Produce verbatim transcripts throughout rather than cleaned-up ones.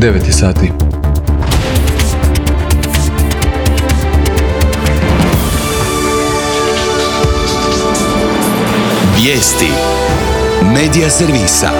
devet sati. Vijesti Medija servisa.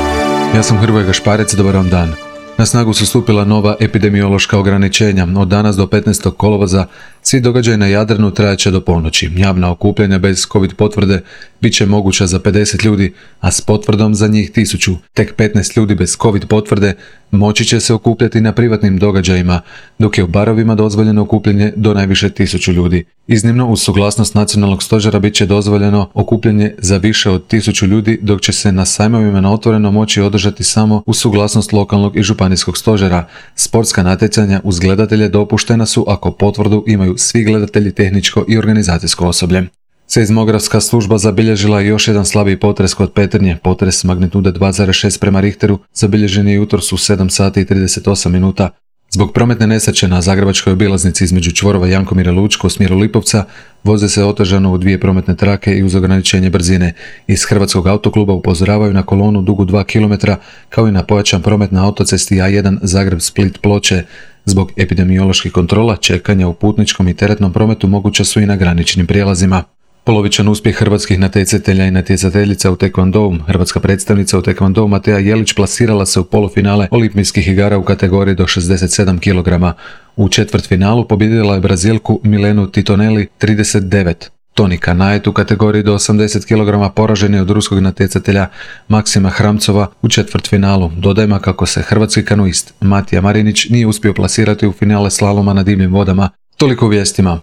Ja sam Hrvoje Gašparec, dobar vam dan. Na snagu su stupila nova epidemiološka ograničenja. Od danas do petnaestog kolovoza svi događaji na Jadranu trajaće do ponoći. Javna okupljanja bez covid potvrde bit će moguća za pedeset ljudi, a s potvrdom za njih tisuću. Tek petnaest ljudi bez covid potvrde moći će se okupljati na privatnim događajima, dok je u barovima dozvoljeno okupljanje do najviše tisuću ljudi. Iznimno, uz suglasnost nacionalnog stožera bit će dozvoljeno okupljanje za više od tisuću ljudi, dok će se na sajmovima na otvoreno moći održati samo uz suglasnost lokalnog i županijskog stožera. Sportska natjecanja uz gledatelje dopuštena su ako potvrdu imaju svi gledatelji, tehničko i organizacijsko osoblje. Seizmografska služba zabilježila je još jedan slabiji potres kod Petrinje. Potres magnitude dva zarez šest prema Richteru zabilježen je jutros u sedam sati i trideset osam minuta. Zbog prometne nesreće na zagrebačkoj obilaznici između čvorova Jankomira Lučko u smjeru Lipovca voze se otežano u dvije prometne trake i uz ograničenje brzine. Iz Hrvatskog autokluba upozoravaju na kolonu dugu dva kilometra kao i na pojačan promet na autocesti A jedan Zagreb-Split-Ploče. Zbog epidemioloških kontrola čekanja u putničkom i teretnom prometu moguća su i na graničnim prijelazima. Polovičan uspjeh hrvatskih natjecatelja i natjecateljica u tekvondou. Hrvatska predstavnica u tekvondou Mateja Jelić plasirala se u polufinale olimpijskih igara u kategoriji do šezdeset sedam kilograma. U četvrtfinalu pobijedila je Brazilku Milenu Titonelli trideset devet. Toni Kanajet u kategoriji do osamdeset kilograma poražen je od ruskog natjecatelja Maksima Hramcova u četvrtfinalu. Dodajmo kako se hrvatski kanuist Matija Marinić nije uspio plasirati u finale slaloma na divljim vodama. Toliko u vijestima.